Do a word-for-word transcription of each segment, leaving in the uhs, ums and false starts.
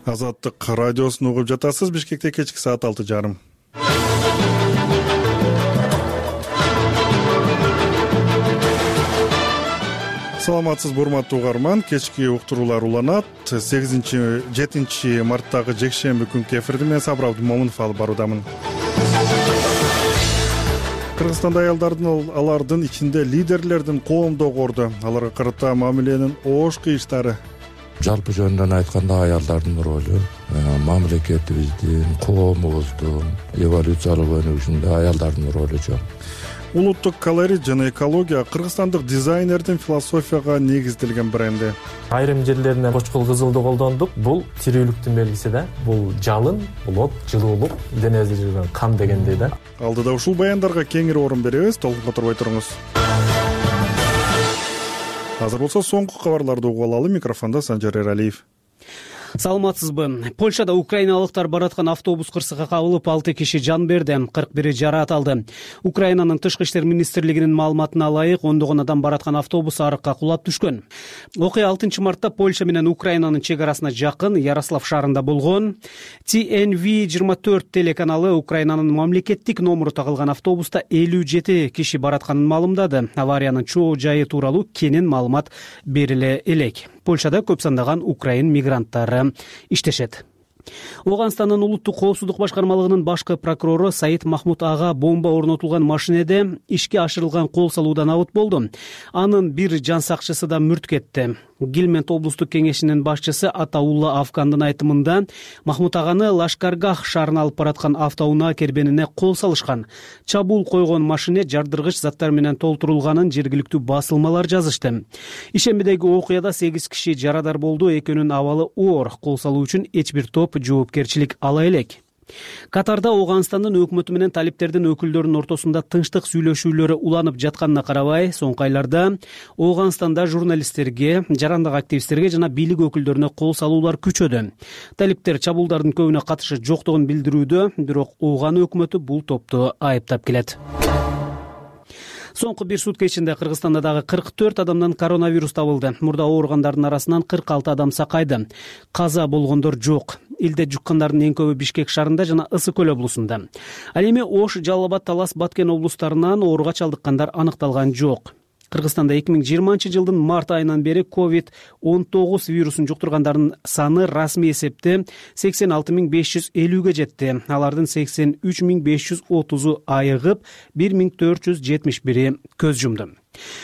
Азаттык радиосун угуп жатасыз. Бишкекте кечки саат алты жарым. Саламатсызбы урматтуу угарман. Кечки уктуруулар уланат. сегизинчи жетинчи марттагы жекшемби күнкү эфирди мен Сабыр Абдымомунов алып баруудамын. Кыргызстанда аялдардын, алардын ичинде лидерлердин коомдогу орду, аларга карата мамиленин оош кыйыштары. Жалпы жөнүндөн айтканда аялдардын ролу мамлекетибиздин, коомубуздун эволюциялык өнүгүшүндө аялдардын ролу чоң. Улуттук колорит жана экология кыргызстандык дизайнердин философияга негизделген бренди. Айрым жерлерине кочкул кызылды колдондук. Бул тирүүлүктүн белгиси да. Бул жалын, бул от, жылуулук, денебизде жүргөн кан дегендей да. Алдыда ушул баяндарга кеңири орун беребиз. Толкунга турбай туруңуз. Азыр болсо соңку кабарларды угуп алалы. Микрофондо Санжар Эралиев. Саламатсызбы. Польшада украиналыктар бараткан автобус кырсыкка кабылып, алты киши жан берди, кырк бири жараат алды. Украинанын тышкы иштер министрлигинин маалыматына ылайык, ондогон адам бараткан автобус арыкка кулап түшкөн. Окуя алтынчы мартта Польша менен Украинанын чек арасына жакын Ярослав шаарында болгон. Ти Эн Ви жыйырма төрт телеканалы Украинанын мамлекеттик номуру тагылган автобуста элүү жети киши баратканын маалымдады. Авариянын чоо жайы тууралуу кенен маалымат бериле элек. Польшада көп сандаган украин мигранттары иштешет. Оганстандын улуттук коопсуздук башкармалыгынын башкы прокурору Саид Махмуд ага бомба орнотулган машинеде ишке ашырылган кол салуудан абыт болду. Анын бир жан сакчысы да мүрт кетти. Гилмент облустук кеңешинин башчысы Атаулла Афкандын айтымында Махмуд аганы Лашкаргах шаарына алып бараткан автоунаа кербенине кол салышкан. Чабуул койгон машине жардыргыч заттар менен толтурулганын жергиликтүү басылмалар жазышты. Ишембидеги окуяда сегиз киши жарадар болду, экөөнүн абалы оор. Кол салуу үчүн эч бир топ жоопкерчилик ала элек. Катарда Оганстандын өкмөтү менен талиптердин өкүлдөрүнүн ортосунда тынчтык сүйлөшүүлөрү уланып жатканына карабай, соңку айларда Оганстанда журналисттерге, жарандык активисттерге жана бийлик өкүлдөрүнө кол салуулар күчөдү. Талиптер чабуулдардын көбүнө катышы жоктугун билдирүүдө, бирок Оган өкмөтү бул топту айыптап келет. Соңку бир сутка ичинде Кыргызстанда дагы кырк төрт адамдан коронавирус табылды. Мурда ооругандардын арасынан кырк алты адам сакайды. Каза болгондор жок. Илде жуккандардын эң көбү Бишкек шаарында жана Ысык көл облусунда. Ал эми Ош, Жалал Абад, Талас, Баткен облустарынан ооруга чалдыккандар аныкталган жок. Кыргызстанда эки миң жыйырманчы жылдын март айынан бери ковид он тогуз вирусун жуктургандардын саны расмий эсепте сексен алты миң беш жүз элүүгө жетти. Алардын сексен үч миң беш жүз отузу айыгып, бир миң төрт жүз жетимиш бири көз жумду.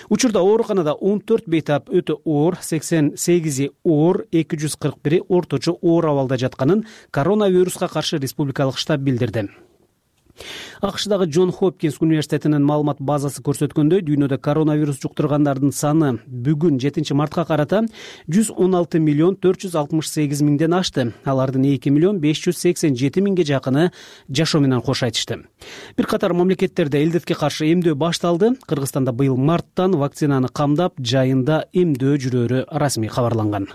Учурда ооруканада он төрт бейтап өтө оор, сексен сегизи оор, эки жүз кырк бири орточо оор абалда жатканын коронавируска каршы республикалык штаб билдирди. АКШдагы Джон Хопкинс университетинин маалымат базасы көрсөткөндөй, дүйнөдө коронавирус жуктургандардын саны бүгүн жетинчи мартка карата жүз он алты миллион төрт жүз алтымыш сегиз миңден ашты. Алардын эки миллион беш жүз сексен жети миңге жакыны жашоо менен кош айтышты. Бир катар мамлекеттерде илдетке каршы эмдөө башталды. Кыргызстанда быйыл марттан вакцинаны камдап, жайында эмдөө жүрөөрү расмий кабарланган.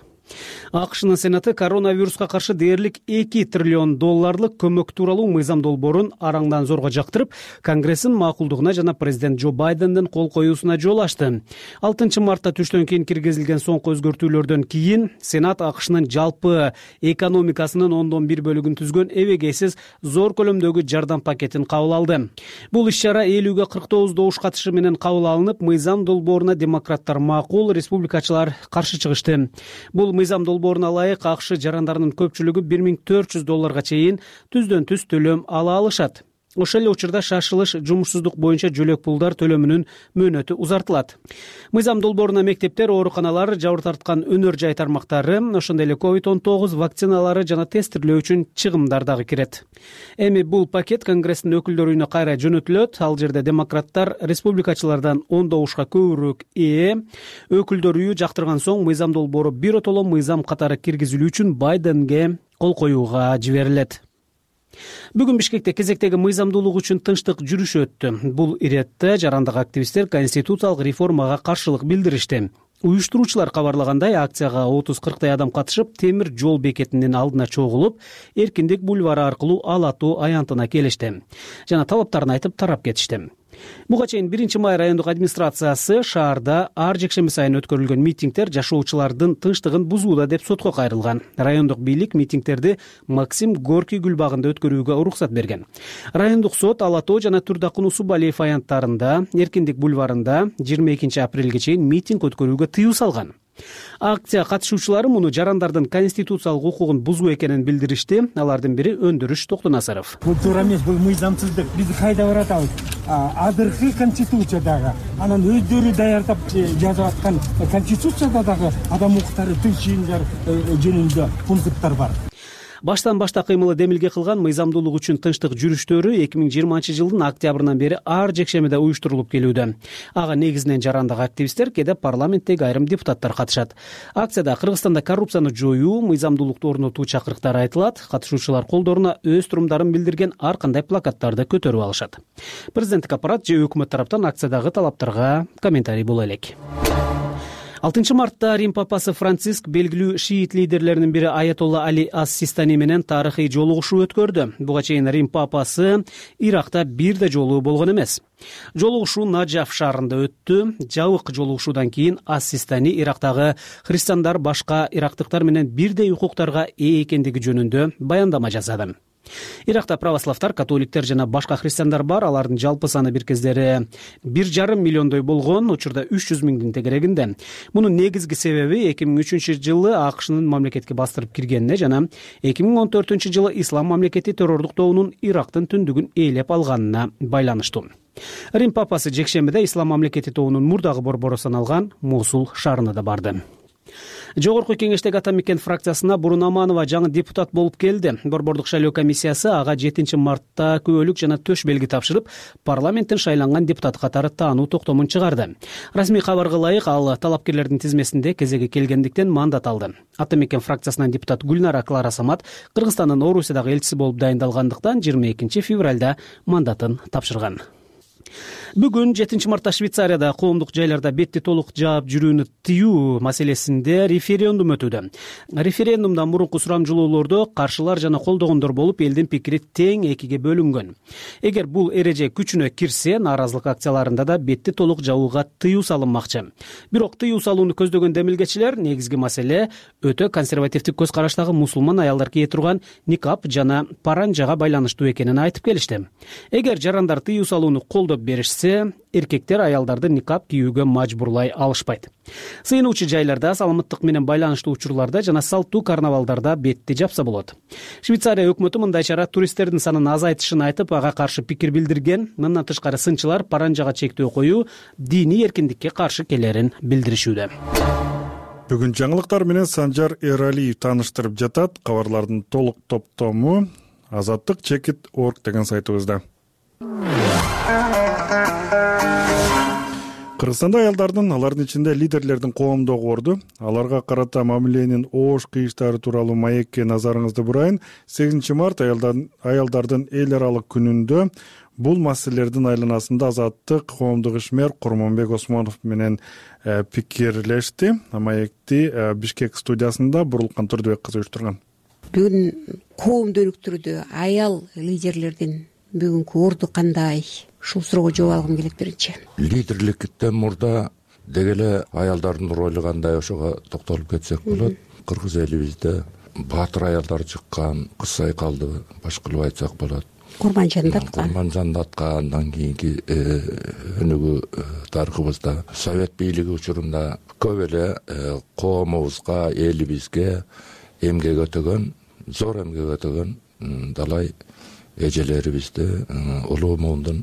АКШнын Сенаты коронавируска каршы дээрлик эки триллион долларлык көмөк тууралуу мыйзам долбоорун араңдан зорго жактырып, Конгресстин макулдугуна жана президент Джо Байдендин кол коюусуна жол ачты. алтынчы мартта түштөн кийин киргизилген соңку өзгөртүүлөрдөн кийин Сенат АКШнын жалпы экономикасынын ондон бир бөлүгүн түзгөн эбегейсиз зор көлөмдөгү жардам пакетин кабыл алды. Бул иш-чара элүүгө кырк тогуз добуш катышы менен кабыл алынып, мыйзам долбооруна демократтар макул, республикачылар каршы чыгышты. Бул мыйзам долбооруна ылайык АКШ жарандарынын көпчүлүгү бир миң төрт жүз долларга чейин түздөн түз төлөм ала алышат. Ошол эле учурда шашылыш жумушсуздук боюнча жөлөк пулдар төлөмүнүн мөөнөтү узартылат. Мыйзам долбооруна мектептер, ооруканалар, жабыр тарткан өнөр жай тармактары, ошондой эле ковид он тогуз вакциналары жана тестирлөө үчүн чыгымдар дагы кирет. Эми бул пакет Конгресстин өкүлдөр үйүнө кайра жөнөтүлөт. Ал жерде демократтар республикачылардан он добушка көбүрөөк ээ. Өкүлдөр үйү жактырган соң мыйзам долбоору биротоло мыйзам катары киргизилүү үчүн Байденге кол коюуга жиберилет. Бүгүн Бишкекте кезектеги мыйзамдуулук үчүн тынчтык жүрүшү өттү. Бул иретте жарандык активисттер конституциялык реформага каршылык билдиришти. Уюштуруучулар кабарлагандай, акцияга отуз кырктай адам катышып, темир жол бекетинин алдына чогулуп, Эркиндик бульвары аркылуу Ала тоо аянтына келишти жана талаптарын айтып тарап кетишти. Буга чейин биринчи май райондук администрациясы шаарда ар жекшемби сайын өткөрүлгөн митингдер жашоочулардын тынчтыгын бузууда деп сотко кайрылган. Райондук бийлик митингдерди Максим Горький гүл багында өткөрүүгө уруксат берген. Райондук сот Ала Тоо жана Турдакун Усубалиев аянттарында Эркиндик бульварында жыйырма экинчи апрелге чейин митинг өткөрүүгө тыюу салган. Акция катышуучулары муну жарандардын конституциялык укугун бузуу экенин билдиришти. Алардын бири Өндүрүш Токтонасаров. Бул туура эмес, бул мыйзамсыздык. Биз кайда баратабыз? Азыркы конституциядагы, анан өздөрү даярдап жазып аткан конституцияда дагы адам укуктары, тынч жыйындар жөнүндө пункттар бар. Баштан башта кыймылы демилге кылган мыйзамдуулук үчүн тынчтык жүрүштөрү эки миң жыйырманчы жылдын октябрынан бери ар жекшемиде уюштурулуп келүүдө. Ага негизинен жарандык активисттер, кээде парламенттеги айрым депутаттар катышат. Акцияда Кыргызстанда коррупцияны жоюу, мыйзамдуулукту орнотуу чакырыктары айтылат. Катышуучулар колдоруна өз турумдарын билдирген ар кандай плакаттарды көтөрүп алышат. Президенттик аппарат же өкмөт тараптан акциядагы талаптарга комментарий боло элек. алтынчы мартта Рим папасы Франциск белгилүү шиит лидерлеринин бири Аятолла Али ас-Систани менен тарыхый жолугушуу өткөрдү. Буга чейин Рим папасы Иракта бир да жолу болгон эмес. Жолугушуу Наджаф шаарында өттү. Жабык жолугушуудан кийин ас-Систани Ирактагы христиандар башка ирактыктар менен бирдей укуктарга ээ экендиги жөнүндө баяндама жасады. Иракта православтар, католиктер жана башка христиандар бар. Алардын жалпы саны бир кездери бир жарым миллиондой болгон, учурда үч жүз миңдин тегерегинде. Мунун негизги себеби эки миң үчүнчү жылы АКШнын мамлекетке бастырып киргенине жана эки миң он төртүнчү жылы ислам мамлекети террордук тобунун Ирактын түндүгүн ээлеп алганына байланыштуу. Рим папасы жекшембиде ислам мамлекети тобунун мурдагы борбору саналган Мосул шаарына да барды. Жогорку кеңештеги Атамекен фракциясына Бурун Аманова жаңы депутат болуп келди. Борбордук шайлоо комиссиясы ага жетинчи мартта күбөлүк жана төш белги тапшырып, парламенттин шайланган депутат катары таануу токтомун чыгарды. Расмий кабарга ылайык, ал талапкерлердин тизмесинде кезеги келгендиктен мандат алды. Атамекен фракциясынан депутат Гүлнара Клара Самат Кыргызстандын Орусиядагы элчиси болуп дайындалгандыктан жыйырма экинчи февралда мандатын тапшырган. Бүгүн жетинчи мартта Швейцарияда коомдук жайларда бетти толук жаап жүрүүнү тыюу маселесинде референдум өтүүдө. Референдумдан мурунку сурамжылоолордо каршылар жана колдогондор болуп, элдин пикири тең экиге бөлүнгөн. Эгер бул эреже күчүнө кирсе, нааразылык акцияларында да бетти толук жабууга тыюу салынмакчы. Бирок тыюу салууну көздөгөн демилгечилер негизги маселе өтө консервативдик көз караштагы мусулман аялдар кие турган никап жана паранжага байланыштуу экенин айтып келишти. Эгер жарандар тыюу салууну колдоп беришсе, эркектер аялдарды никап кийүүгө мажбурлай алышпайт. Сыйынуучу жайларда, саламаттык менен байланыштуу учурларда жана салттуу карнавалдарда бетти жапса болот. Швейцария өкмөтү мындай чара туристтердин санын азайтышын айтып, ага каршы пикир билдирген. Мындан тышкары сынчылар паранжага чектөө коюу диний эркиндикке каршы келерин билдиришүүдө. Бүгүн жаңылыктар менен Санжар Эралиев тааныштырып жатат. Кабарлардын толук топтому азаттык чекит точка орг деген сайтыбызда. Кыргызстанда аялдардын, алардын ичинде лидерлердин коомдогу орду, аларга карата мамиленин оош кыйыштары тууралуу маекке назарыңызды бурайын. сегизинчи март аялдардын, аялдардын эл аралык күнүндө бул маселелердин айланасында азаттык коомдук ишмер Курманбек Осмонов менен э, пикирлешти. Маекти э, Бишкек студиясында Бурулкан Турдубек кызы уюштурган. Бүгүн коомдук түрдө аял лидерлердин бүгүнкү орду кандай? Ушул суроого жооп алгым келет биринчи. Лидерликтен мурда дегеле аялдардын ролу кандай, ошого токтолуп кетсек болот. Кыргыз элибизде баатыр аялдар чыккан, Кыз Сайкалды баш кылып айтсак болот. Курманжанды аткан. Курманжанды аткандан кийинки өнүгүү тарыхыбызда Совет бийлиги учурунда көп эле коомубузга, элибизге эмгек өтөгөн, зор эмгек өтөгөн далай эжелерибизди, улуу муундун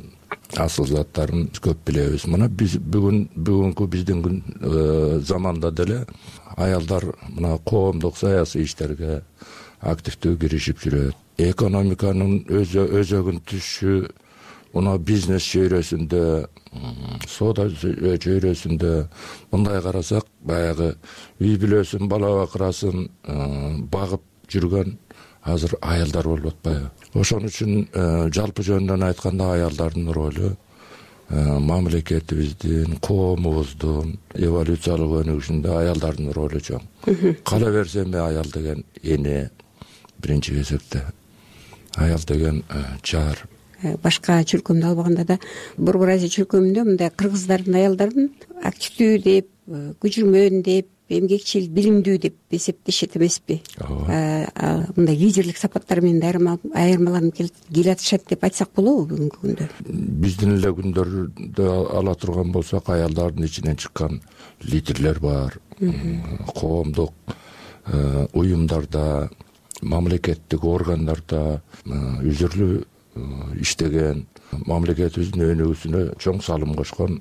асыл заттарын көп билебиз. Мына биз бүгүн бүгүнкү биздин күн заманда деле аялдар мына коомдук саясий иштерге активдүү киришип жүрөт. Экономиканын өзөгүн түшү, мына бизнес чөйрөсүндө, соода чөйрөсүндө мындай карасак, баягы үй бүлөсүн, бала бакырасын багып жүргөн азыр аялдар болуп атпайбы? Ошон үчүн жалпы жөнүндөн айтканда аялдардын ролу мамлекетибиздин, коомубуздун эволюциялык өнүгүшүндө аялдардын ролу чоң. Кала берсеме аял деген эне биринчи кезекте, аял деген жар, башка чөлкөмдү албаганда да Борбор Азия чөлкөмүндө мындай кыргыздардын аялдарын активдүү деп, күчүрмөн деп, эмгекчил, билимдүү деп эсептешет эмеспи? Мындай лидерлик сапаттар менен айырмаланып келатышат деп айтсак болобу бүгүнкү күндө? Биздин эле күндөрдө ала турган болсок, аялдардын ичинен чыккан лидерлер бар. Коомдук уюмдарда, мамлекеттик органдарда үзүрлүү иштеген, мамлекетибиздин өнүгүүсүнө чоң салым кошкон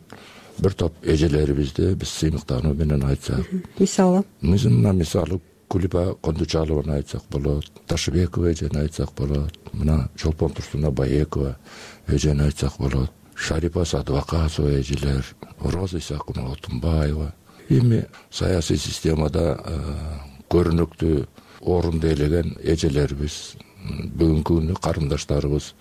бир топ эжелерибизди биз сыймыктануу менен айтсак. Мисалы? Мына мисалы Кулиба Кондучалованы айтсак болот, Ташыбекова эжени айтсак болот, мына Чолпон Турсуна Баекова эжени айтсак болот, Шарипа Садыбакасова эжелер, Роза Исакунова Тумбаева. Эми саясий системада көрүнүктүү орунду ээлеген эжелерибиз, бүгүнкү күндө карындаштарыбыз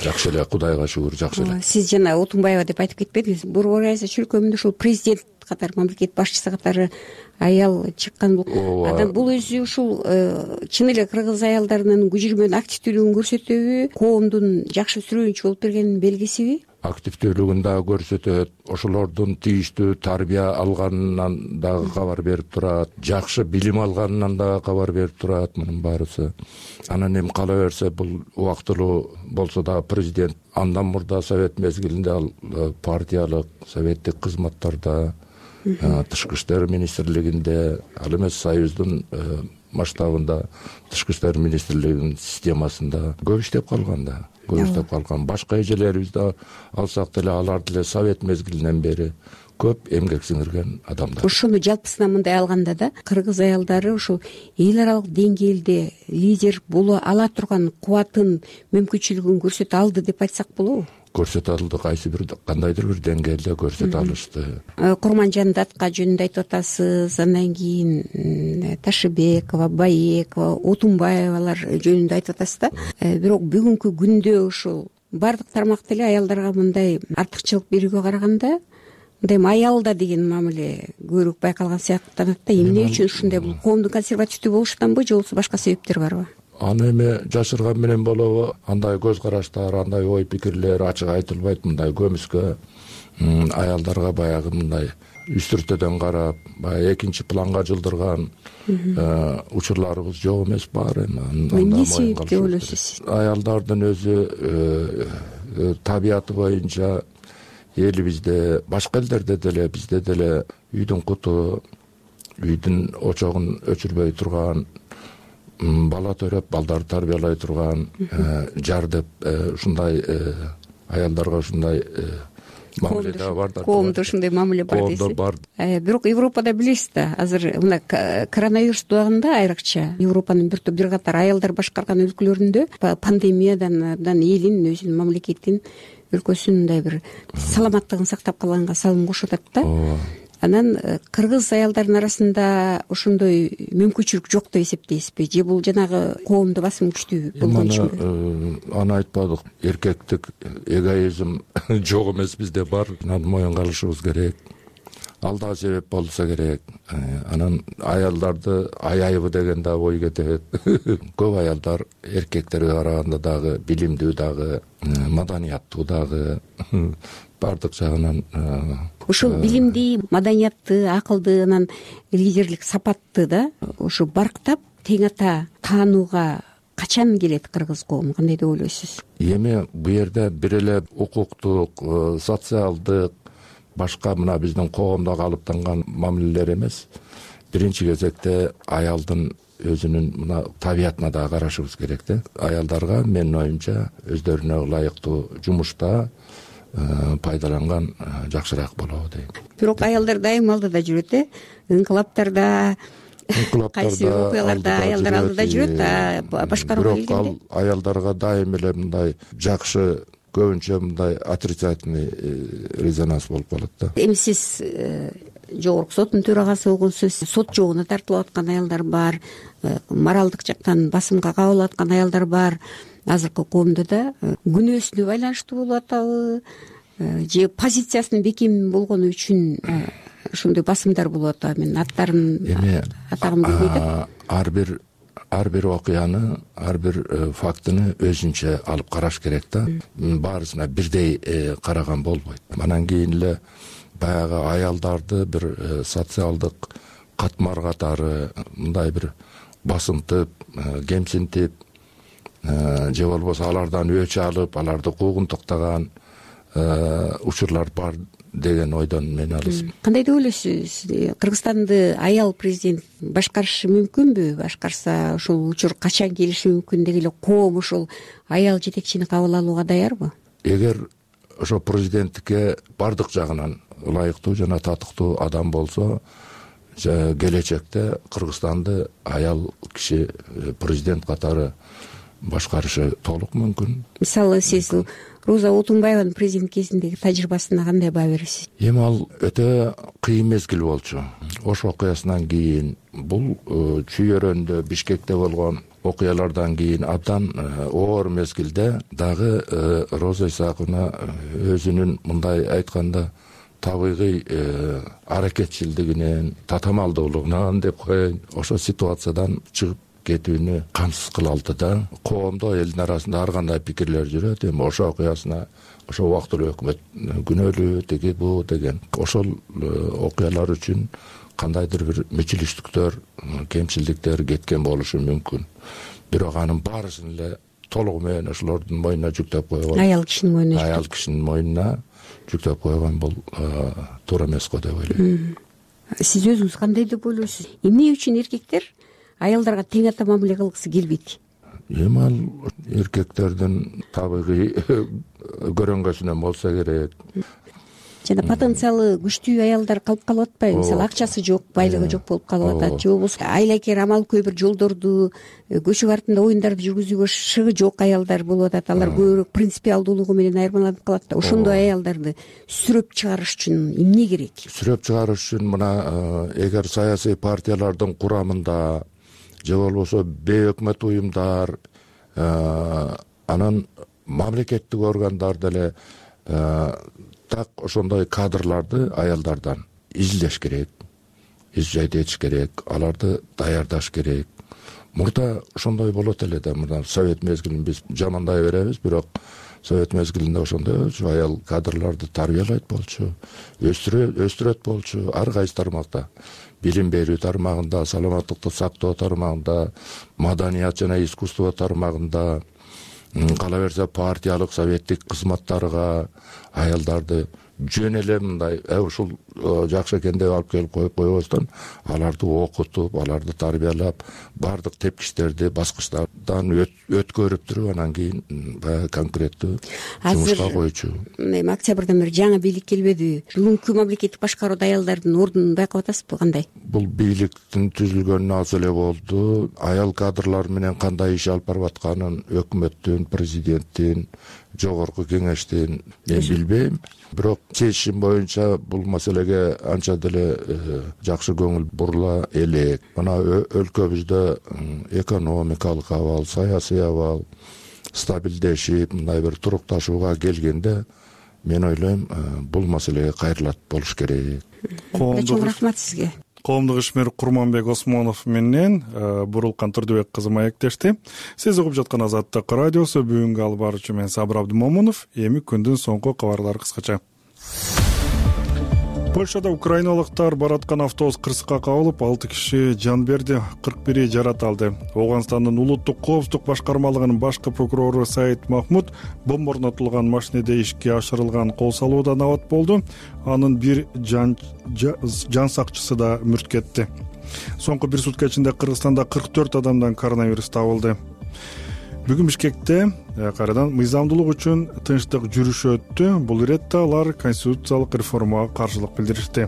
жакшы эле, Кудайга шүгүр, жакшы эле. Сиз жана Отунбаева деп айтып кетпедиңиз. Борбор Азия чөлкөмүндө ушул президент катары, мамлекет башчысы катары аял чыккан. Анан бул өзү ушул чын эле кыргыз аялдарынын күчүрмөн активдүүлүгүн көрсөтөбү, коомдун жакшы сүрөөнчү болуп бергенин белгисиби? Активдүүлүгүн дагы көрсөтөт, ошолордун тийиштүү тарбия алганынан дагы кабар берип турат, жакшы билим алганынан дагы кабар берип турат, мунун баарысы. Анан эми кала берсе, бул убактылуу болсо дагы президент андан мурда совет мезгилинде ал партиялык, советтик кызматтарда, тышкы иштер министрлигинде, ал эмес союздун масштабында тышкы иштер министрлигинин системасында көп иштеп калган да. көп иштеп калган. Башка эжелерибизди алсак деле, алар деле совет мезгилинен бери көп эмгек сиңирген адамдар. Ошону жалпысынан мындай алганда да, кыргыз аялдары ушул эл аралык деңгээлде лидер боло ала турган кубатын, мүмкүнчүлүгүн көрсөтө алды деп айтсак болобу? Көрсөтө алды, кайсы бир кандайдыр бир деңгээлде көрсөтө алышты. Курманжан Датка жөнүндө айтып атасыз, андан кийин Ташыбекова, Баекова, Отунбаевалар жөнүндө айтып атасыз да. Бирок бүгүнкү күндө ушул бардык тармак деле аялдарга мындай артыкчылык берүүгө караганда мындай аялда деген мамиле көбүрөөк байкалган сыяктанат да. Эмне үчүн ушундай? Бул коомдун консервативдүү болушунданбы, же болбосо башка себептер барбы? Аны эми жашырган менен болобу, андай көз караштар, андай ой пикирлер ачык айтылбайт. Мындай көмүскө аялдарга баягы мындай үстүртөдөн карап, баягы экинчи планга жылдырган учурларыбыз жок эмес бар эми. Эмне себеп деп ойлойсуз? Аялдардын өзү табияты боюнча элибизде, башка элдерде деле, бизде деле үйдүн куту, үйдүн очогун өчүрбөй турган, бала төрөп, балдарды тарбиялай турган, жар деп ушундай аялдарга ушундай мамиле да бар да. Коомдо ушундай мамиле бар дейсиз. Бирок Европада билесиз да, азыр мына коронавирус убагында айрыкча Европанын бир топ бир катар аялдар башкарган өлкөлөрүндө пандемиядан элин, өзүнүн мамлекетин, өлкөсүнүн мындай бир саламаттыгын сактап калганга салым кошуп атат да. Анан кыргыз аялдардын арасында ошондой мүмкүнчүлүк жок деп эсептейсизби, же бул жанагы коомдо басым күчтүү болгон үчүнбү? Аны айтпадык, эркектик эгоизм жок эмес, бизде бар. Анан моюнга алышыбыз керек. Ал да себеп болсо керек. Анан аялдарды аяйбы деген да ой кетет. Көп аялдар эркектерге караганда дагы билимдүү, дагы маданияттуу, дагы бардык жагынан. Ушул билимди, маданияттуу, акылдуу, анан лидерлик сапатты да ушу барктап тең ата таанууга качан келет кыргыз коому? Кандай деп ойлойсуз? Эми бу жерде бир эле укуктук, социалдык, башка мына биздин коомдо калыптанган мамилелер эмес. Биринчи кезекте аялдын өзүнүн мына табиятына да карашыбыз керек да. Аялдарга менин оюмча өздөрүнө ылайыктуу жумушта пайдаланган жакшыраак болобу дейм. Бирок аялдар дайым алдыда жүрөт, э? Инкылаптарда, кайсы окуяларда аялдар алдыда жүрөт, башкарууга келгенде. Бирок ал аялдарга дайым эле мындай жакшы, көбүнчө мындай отрицательный резонанс болуп калат да. Эми сиз жогорку соттун төрагасы болгонсуз, сот жогуна тартылып аткан аялдар бар, моралдык жактан басымга кабылып аткан аялдар бар. Азыркы коомдо да күнөөсүнө байланыштуу болуп атабы, же позициясынын бекем болгону үчүн ошондой басымдар болуп атабы? Мен аттарын атагым келбейт. Ар бир ар бир окуяны, ар бир фактыны өзүнчө алып караш керек да. Баарысына бирдей караган болбойт. Анан кийин эле баягы аялдарды бир социалдык катмар катары мындай бир басынтып, кемсинтип же болбосо алардан өч алып, аларды куугунтуктаган учурлар бар деген ойдон мен алысмын. Кандай деп ойлойсуз? Кыргызстанды аял президент башкарышы мүмкүнбү? Башкарса ушул учур качан келиши мүмкүн деги эле коом ушул аял жетекчини кабыл алууга даярбы? Эгер ошо президенттикке бардык жагынан ылайыктуу жана татыктуу адам болсо, келечекте Кыргызстанды аял киши президент катары башкарышы толук мүмкүн. Мисалы сиз Роза Отунбаеванын президент кезиндеги тажрыйбасына кандай баа бересиз? Эми ал өтө кыйын мезгил болчу. Ош окуясынан кийин, бул чүйөрөндө Бишкекте болгон окуялардан кийин абдан оор мезгилде дагы Роза Исаковна өзүнүн мындай айтканда табигый аракетчилдигинен, татамалдуулугунан деп коеюн, ошо ситуациядан чыгып кетүүнү камсыз кыла алды да. Коомдо, элдин арасында ар кандай пикирлер жүрөт. Эми ошо окуясына ошо убактылуу өкмөт күнөөлүү тиги бу деген ошол окуялар үчүн кандайдыр бир мүчүлүштүктөр, кемчилдиктер кеткен болушу мүмкүн. Бирок анын баарысын эле толугу менен ошолордун мойнуна жүктөп койгон, аял кишинин мойнуна аял кишинин мойнуна жүктөп койгон бул туура эмес го деп ойлойм. Сиз өзүңүз кандай деп ойлойсуз? Эмне үчүн эркектер аялдарга тең ата мамиле кылгысы келбейт? Эми ал эркектердин табигый көрөнгөсүнөн болсо керек. Жана потенциалы күчтүү аялдар калып калып атпайбы? Мисалы акчасы жок, байлыгы жок болуп калып атат, же болбосо айлакер амалкөй бир жолдорду, көчүк артында оюндарды жүргүзүүгө шыгы жок аялдар болуп атат. Алар көбүрөөк принципиалдуулугу менен айырмаланып калат да. Ошондой аялдарды сүрөп чыгарыш үчүн эмне керек? Сүрөп чыгарыш үчүн мына эгер саясий партиялардын курамында же болбосо бейөкмөт уюмдар, анан мамлекеттик органдар деле так ошондой кадрларды аялдардан изилдеш керек, изжайт этиш керек, аларды даярдаш керек. Мурда ошондой болот эле да, мына совет мезгилин биз жамандай беребиз, бирок совет мезгилинде ошондой аял кадрларды тарбиялайт болчу, өстүрөт болчу ар кайсы тармакта. Билим берүү тармагында, саламаттыкты сактоо тармагында, маданият жана искусство тармагында, кала берсе партиялык советтик кызматтарга аялдарды жөн эле мындай ушул жакшы экен деп алып келип коюп койбостон, аларды окутуп, аларды тарбиялап, бардык тепкичтерди баскычтардан өткөрүп туруп, анан кийин баягы конкреттүү жумушка койчу. Эми октябрдан бери жаңы бийлик келбедиби? Бүгүнкү мамлекеттик башкарууда аялдардын ордунун байкап атасызбы, кандай? Бул бийликтин түзүлгөнүнө аз эле болду. Аял кадрлар менен кандай иш алып барып атканын өкмөттүн, президенттин, жогорку кеңештин мен билбейм. Бирок чечишим боюнча бул маселеге анча деле жакшы көңүл бурула элек. Мына өлкөбүздө экономикалык абал, саясий абал стабилдешип, мындай бир турукташууга келгенде, мен ойлойм, бул маселеге кайрылат болуш керек. Чоң рахмат сизге. Коомдук ишмер Курманбек Осмонов менен Бурулкан Турдубек кызы маектешти. Сиз угуп жаткан Азаттык радиосу. Бүгүнкү алып баруучу мен Сабыр Абдымомунов. Эми күндүн соңку кабарлары кыскача. Польшада украиналыктар бараткан автобус кырсыкка кабылып, алты киши жан берди, кырк бири жарат алды. Ооганстандын улуттук коопсуздук башкармалыгынын башкы прокурору Саид Махмуд бомба орнотулган машинеде ишке ашырылган кол салуудан абат болду. Анын бир жан жан сакчысы да мүрт кетти. Соңку бир сутка ичинде Кыргызстанда кырк төрт адамдан коронавирус табылды. Бүгүн Бишкекте кайрадан мыйзамдуулук үчүн тынчтык жүрүшү өттү. Бул иретте алар конституциялык реформага каршылык билдиришти.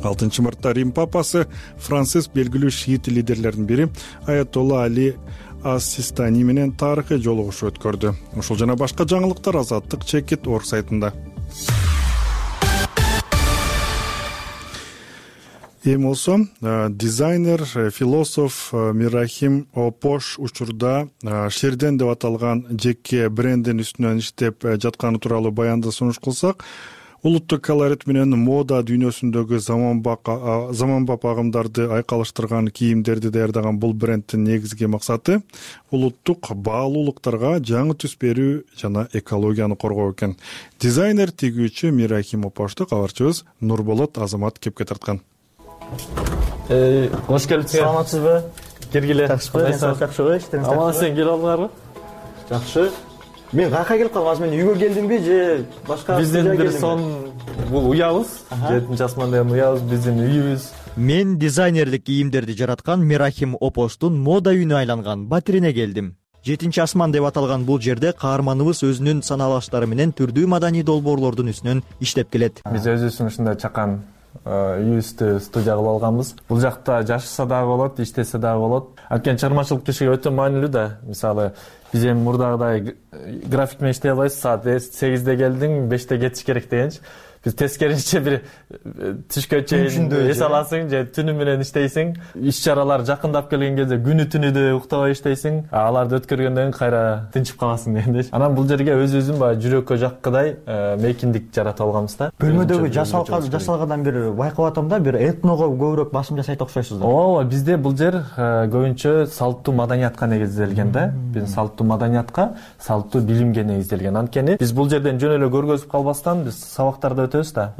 алтынчы мартта Рим папасы Франциск белгилүү шиит лидерлердин бири Аятолла Али Ас-Систани менен тарыхый жолугушуу өткөрдү. Ушул жана башка жаңылыктар Азаттык чекит орг сайтында. Эми болсо дизайнер, философ Мирахим Опош учурда Шерден деп аталган жеке брендин үстүнөн иштеп жатканы тууралуу баянды сунуш кылсак, Улуттук колорит менен мода дүйнөсүндөгү заманбап агымдарды айкалыштырган кийимдерди даярдаган бул бренддин негизги максаты улуттук баалуулуктарга жаңы түс берүү жана экологияны коргоо экен. Дизайнер тигүүчү Мирахим Опошту кабарчыбыз Нурболот Азамат кепке тарткан. Кош келипсиз. Саламатсызбы? Киргиле. Жакшыбы? Иштериңиз Аман сен келип алганарбы? Жакшы. Мен каяка келип калдым? Азыр мен үйгө келдимби же башка? Биздин бир сон бул уябыз. жетинчи асман деген уябыз, биздин үйүбүз. Мен дизайнерлик кийимдерди жараткан Мирахим Опоштун мода үйүнө айланган батирине келдим. жетинчи асман деп аталган бул жерде каарманыбыз өзүнүн саналаштары менен түрдүү маданий долбоорлордун үстүнөн иштеп келет. Биз өзүбүздүн ушундай чакан үйүбүздү студия кылып алганбыз. Бул жакта жашаса дагы болот, иштесе дагы болот. Анткени чыгармачылык кишиге өтө маанилүү да. Мисалы, биз эми мурдагыдай график менен иштей албайбыз. Саат сегизде келдиң, беште кетиш керек дегенчи. Биз тескерисинче бир түшкө чейин эс аласың же түнү менен иштейсиң. Иш-чаралар жакындап келген кезде күнү түнү да уктабай иштейсиң. Аларды өткөргөндөн кийин кайра тынчып каласың дегендей. Анан бул жерге өзүбүздүн баягы жүрөккө жаккыдай мейкиндик жаратып алганбыз да. Бөлмөдөгү жасалгандан бир байкап атам да, бир этного көбүрөөк басым жасайт окшойсуз да. Ооба, бизде бул жер көбүнчө салттуу маданиятка негизделген да. Биз салттуу маданиятка, салттуу билимге негизделген. Анткени биз бул жерден жөн эле көргөзүп калбастан биз сабактарды өтөбүз да.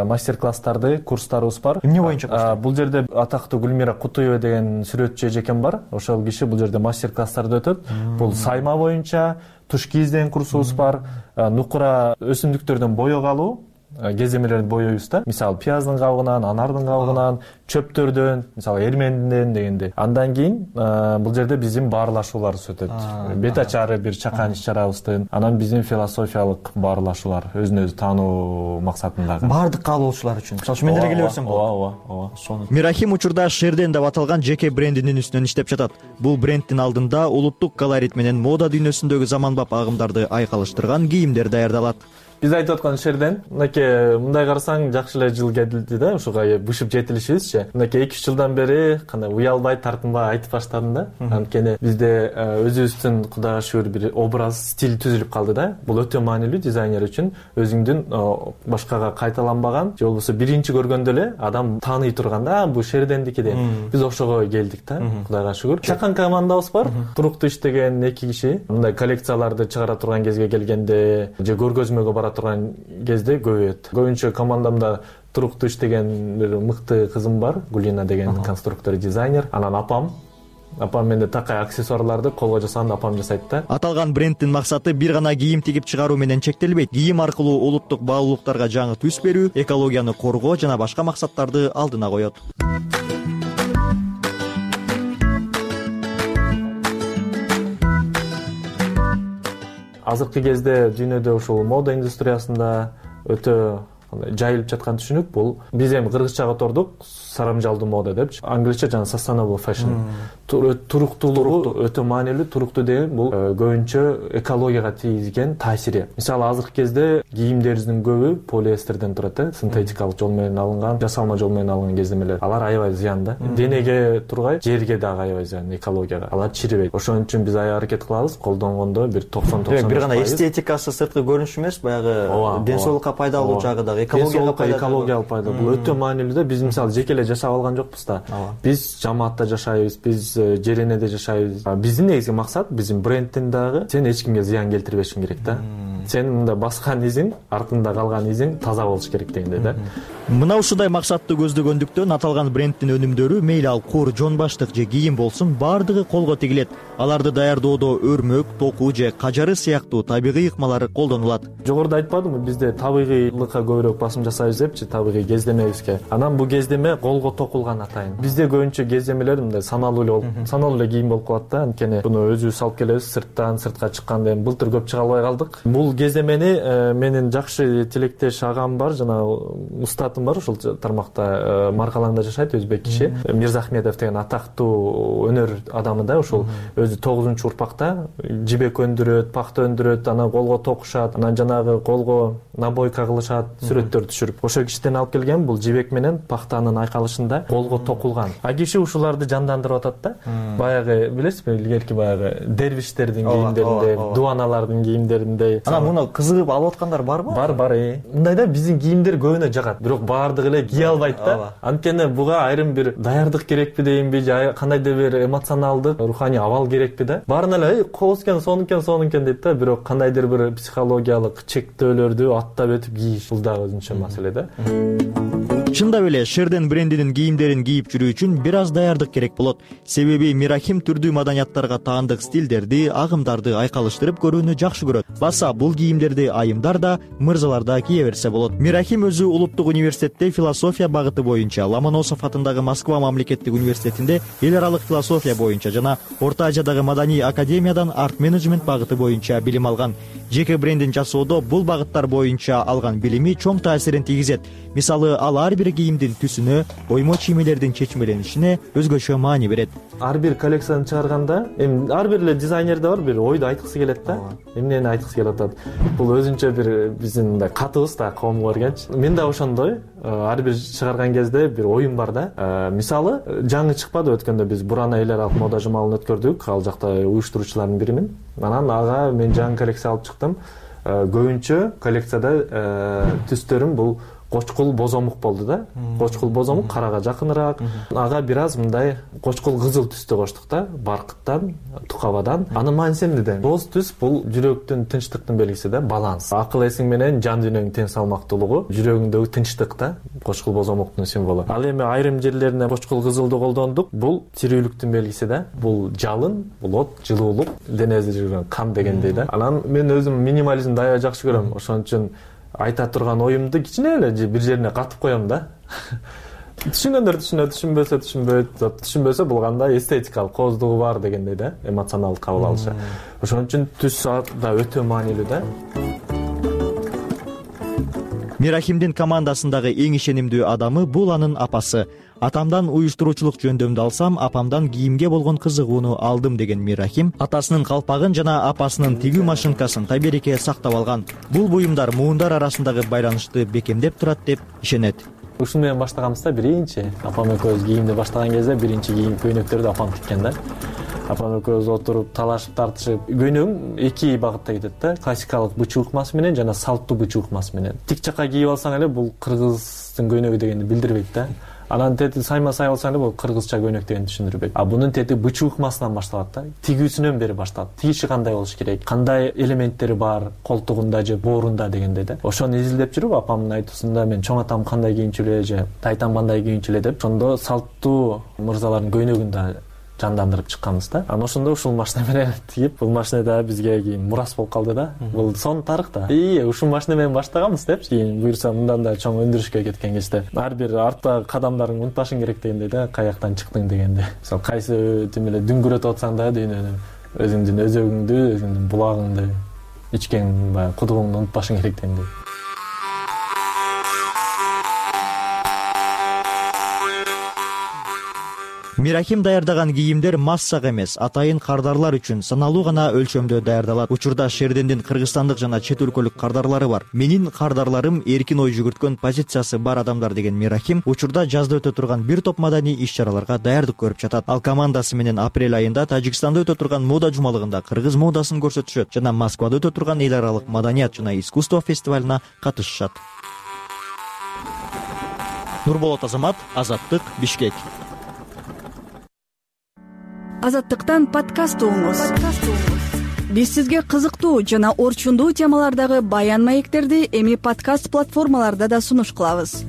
Мастер-класстарды, курстарыбыз бар. Эмне боюнча курстар? Бул жерде атактуу Гүлмира Кутуева деген сүрөтчү эжекем бар. Ошол киши бул жерде мастер-класстарды өтөт. Бул сайма боюнча туш кийиз деген курсубуз бар. Нукура өсүмдүктөрдөн боек алуу, кеземелерди боёйбуз да. Мисалы, пияздын кабыгынан, анардын кабыгынан, чөптөрдөн, мисалы, эрменден дегенде. Андан кийин бул жерде биздин баарлашууларыбыз өтөт. Бет ачары бир чакан иш-чарабыздын, анан биздин философиялык баарлашуулар, өзүн өзү таануу максатындагы. Бардык каалоочулар үчүн. Мисалы, мен деле келе берсем болот. Ооба, ооба, ооба. Мирахим учурда Шерден деп аталган жеке брендинин үстүнөн иштеп жатат. Бул бренддин алдында улуттук колорит менен мода дүйнөсүндөгү заманбап агымдарды айкалыштырган кийимдер даярдалат. Биз айтып аткан Шерден, мынакей мындай карасаң жакшы эле жыл кетти да, ушуга бышып жетилишибизчи. Мынакей эки үч жылдан бери кандай уялбай, тартынбай айтып баштадым да. Анткени бизде өзүбүздүн Кудайга шүгүр бир образ, стиль түзүлүп калды да. Бул өтө маанилүү дизайнер үчүн. Өзүңдүн башкага кайталанбаган, же болбосо биринчи көргөндө эле адам тааный турган да, бул Шердендики деп. Биз ошого келдик да, Кудайга шүгүр. Чакан командабыз бар, туруктуу иштеген эки киши. Мындай коллекцияларды чыгара турган кезге келгенде же көргөзмөгө бара турган кезде көбөйөт. Көбүнчө командамда туруктуу иштеген бир мыкты кызым бар, Гулина деген конструктор, дизайнер. Анан апам Апам менде такай аксессуарларды колго жасаганда апам жасайт да. Аталган бренддин максаты бир гана кийим тигип чыгаруу менен чектелбейт. Кийим аркылуу улуттук баалуулуктарга жаңы түс берүү, экологияны коргоо жана башка максаттарды алдына коет. Азыркы кезде дүйнөдө ушул мода индустриясында өтө жайылып жаткан түшүнүк бул. Биз эми кыргызчага отордук сарамжалдуу мода депчи. Англисче жана sustainable fashion. Туруктуулугу өтө маанилүү. Туруктуу деген бул көбүнчө экологияга тийгизген таасири. Мисалы, азыркы кезде кийимдерибиздин көбү полиэстерден турат да, синтетикалык жол менен алынган, жасалма жол менен алынган кеземелер. Алар аябай зыян да. Денеге тургай, жерге дагы аябай зыян, экологияга. Алар чирибейт. Ошон үчүн биз аябай аракет кылабыз, колдонгондо бир токсон токсон. Бир гана эстетикасы, сырткы көрүнүшү эмес, баягы ден соолукка пайдалуу жагы дагы, экологиялык пайда. Бул өтө маанилүү да. Биз мисалы жеке эле жашап алган жокпуз да. Биз жамаатта жашайбыз, биз жеренеде жашайбыз. Биздин негизги максат, биздин брендтин дагы сен эч кимге зыян келтирбешиң керек да. Сен мында баскан изиң, артында калган изиң таза болуш керек дегендей да. Мына ушундай максатты көздөгөндүктөн аталган брендтин өнүмдөрү мейли ал кур, жон баштык же кийим болсун, бардыгы колго тигилет. Аларды даярдоодо өрмөк, току же кажары сыяктуу табигый ыкмалар колдонулат. Жогоруда айтпадымбы, бизде табигыйлыкка көбүрөөк басым жасайбыз депчи, табигый кездемебизге. Анан бул кездеме колго токулган атайын. Бизде көбүнчө кездемелер мындай саналуу эле болуп, саналуу эле кийим болуп калат да. Анткени буну өзүбүз алып келебиз, сырттан, сыртка чыкканда эми былтыр көп чыга албай калдык. Бул кездемени менин жакшы тилектеш агам бар, жана устатым бар, ушул тармакта Маркалаңда жашайт, өзбек киши. Мирзахметов деген атактуу өнөр адамы да, ушул өзү тогузунчу урпакта жибек өндүрөт, пахта өндүрөт, анан колго токушат, анан жанагы колго набойка кылышат, сүрөттөр түшүрүп. Ошол кишиден алып келген бул жибек менен пахтанын айкалышында колго токулган. А киши ушуларды жандандырып атат да. Баягы билесизби, илгерки баягы дервиштердин кийимдеринде, дубаналардын кийимдеринде. Анан муну кызыгып алып аткандар барбы? Бар, бар. Мындай да, биздин кийимдер көбүнө жагат, бирок баардыгы эле кие албайт да. Анткени буга айрым бир даярдык керекпи дейинби, же кандайдыр бир эмоционалдык, руханий абал керекпи да. Баарына эле кооз экен, сонун сонун экен дейт да, бирок кандайдыр бир психологиялык чектөөлөрдү аттап өтүп кийиш бул дагы өзүнчө маселе да. Чындап эле Шерден брендинин кийимдерин кийип жүрүү үчүн бир аз даярдык керек болот. Себеби Мирахим түрдүү маданияттарга таандык стилдерди, агымдарды айкалыштырып көрүүнү жакшы көрөт. Баса бул кийимдерди айымдар да, мырзалар да кие берсе болот. Мирахим өзү Улуттук университетте философия багыты боюнча, Ломоносов атындагы Москва мамлекеттик университетинде эл аралык философия боюнча жана Орто Азиядагы Маданий академиядан арт менеджмент багыты боюнча билим алган. Жеке брендин жасоодо бул багыттар боюнча алган билими чоң таасирин тийгизет. Мисалы, ал ар бир кийимдин түсүнө, оймо чиймелердин чечмеленишине өзгөчө маани берет. Ар бир коллекцияны чыгарганда, эми ар бир эле дизайнерде бар бир ойду айткысы келет да. Эмнени айткысы келип атат. Бул өзүнчө бир биздин мындай катыбыз да, коомго бергенчи. Мен да ошондой, ар бир чыгарган кезде бир оюм бар да. Мисалы, жаңы чыкпады өткөндө биз Бурана эл аралык мода жумалын өткөрдүк, ал жакта уюштуруучулардын биримин. Анан ага мен жаңы коллекция алып чыктым. Көбүнчө коллекцияда түстөрүм бул кочкул бозомук болду да. Кочкул бозомук карага жакыныраак. Ага бир аз мындай кочкул кызыл түстү коштук да, баркыттан, тукабадан. Анын мааниси эмнеде? Боз түс бул жүрөктүн тынчтыктын белгиси да, баланс. Акыл эсиң менен жан дүйнөңдүн тең салмактуулугу, жүрөгүңдөгү тынчтык да, кочкул бозомуктун символу. Ал эми айрым жерлерине кочкул кызылды колдондук. Бул тирүүлүктүн белгиси да. Бул жалын, бул от, жылуулук, денеде жүргөн кан дегендей да. Анан мен өзүм минимализмди аябай жакшы көрөм. Ошон үчүн айта турган оюмду кичине эле бир жерине катып коем да. Түшүнгөндөр түшүнөт, түшүнбөсө түшүнбөйт. Түшүнбөсө бул кандай эстетикалык кооздугу бар дегендей да, эмоционалдык кабыл алышы. Ошон үчүн түс да өтө маанилүү да. Мирахимдин командасындагы эң ишенимдүү адамы бул анын апасы. Атамдан уюштуруучулук жөндөмдү алсам, апамдан кийимге болгон кызыгууну алдым деген Мирахим атасынын калпагын жана апасынын тигүү машинкасын табереке сактап алган. Бул буюмдар муундар арасындагы байланышты бекемдеп турат деп ишенет. Ушун менен баштаганбыз да биринчи. Апам экөөбүз кийимди баштаган кезде биринчи кийим көйнөктөрдү апам тиккен да. Апам экөөбүз отуруп талашып тартышып, көйнөгүм эки багытта кетет да. Классикалык бычы укмасы менен жана салттуу бычы укмасы менен. Тик жака кийип алсаң эле бул кыргыздын көйнөгү дегенди билдирбейт да. Анан тети сайма сай болсаң эле бул кыргызча көйнөк дегенди түшүндүрбөйт. А бунун тети бычы укмасынан башталат да. Тигүүсүнөн бери башталат. Тигиши кандай болуш керек, кандай элементтери бар колтугунда же боорунда дегенде да. Ошону изилдеп жүрүп апамдын айтуусунда мен чоң атам кандай кийинчү эле же тайтам кандай кийинчү эле деп ошондо салттуу мырзалардын көйнөгүн да жандандырып чыкканбыз да. Анан ошондо ушул машина менен тигип, бул машина да бизге кийин мурас болуп калды да. Бул сонун тарых да. И ушул машина менен баштаганбыз депчи, кийин буюрса мындан да чоң өндүрүшкө кеткен кезде ар бир арттагы кадамдарыңды унутпашың керек дегендей да, каяктан чыктың дегенде. Мисалы кайсы тим эле дүңгүрөтүп атсаң да дүйнөнү, өзүңдүн өзөгүңдү, өзүңдүн булагыңды, ичкен баягы кудугуңду унутпашың керек дегендей. Мирахим даярдаган кийимдер массага эмес, атайын кардарлар үчүн саналуу гана өлчөмдө даярдалат. Учурда Шердендин кыргызстандык жана чет өлкөлүк кардарлары бар. Менин кардарларым эркин ой жүгүрткөн позициясы бар адамдар деген Мирахим учурда жазда өтө турган бир топ маданий иш-чараларга даярдык көрүп жатат. Ал командасы менен апрель айында Тажикстанда өтө турган мода жумалыгында кыргыз модасын көрсөтүшөт жана Москвада өтө турган эл аралык маданият жана искусство фестивалына катышышат. Нурболот Азамат, Азаттык, Бишкек. Азаттыктан подкаст угуңуз. Биз сизге кызыктуу жана орчундуу темалардагы баян маектерди эми подкаст платформаларда да сунуш кылабыз.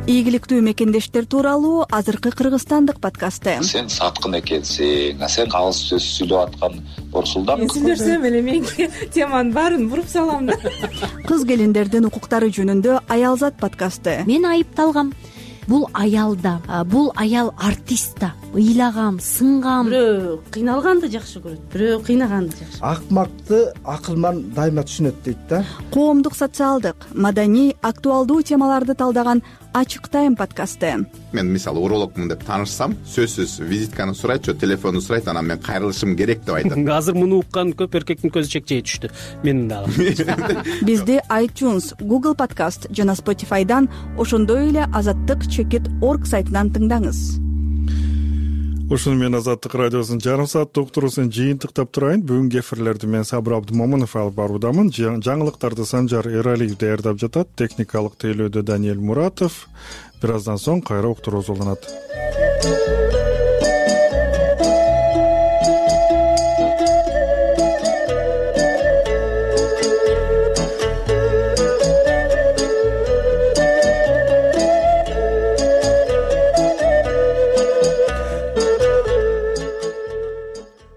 Ийгиликтүү мекендештер тууралуу азыркы кыргызстандык подкасты. Сен саткын экенсиң, сен калыс сөз сүйлөп аткан Борсулдан. Мен сүйлөсөм эле менин теманын баарын буруп салам да. Кыз келиндердин укуктары жөнүндө Аялзат подкасты. Мен айыпталгам. Бул аял да, бул аял артист да. ыйлаган сынган. Бирөө кыйналганды жакшы көрөт, бирөө кыйнаганды жакшы. Акмакты акыл менен дайыма түшүнөт дейт да. Коомдук, социалдык, маданий, актуалдуу темаларды талдаган Ачык Тайм подкасты. Мен мисалы урологмун деп таанышсам, сөзсүз визитканы сурайт, же телефонду сурайт, анан мен кайрылышым керек деп айтат. Азыр муну уккан көп эркектин көзү чекчей түштү. Менин дагы. Бизди iTunes, Google Podcast жана Spotify'дан, ошондой эле азаттык чекит точка орг сайтынан тыңдаңыз. Ушуну менен Азаттык радиосунун жарым сааттык уктуруусун жыйынтыктап турайын. Бүгүнкү эфирлерди мен Сабыр Абдымомунов алып баруудамын. Жаңылыктарды Санжар Эралиев даярдап жатат. Техникалык тейлөөдө Даниэль Муратов. Бир аздан соң кайра уктуруубуз уланат.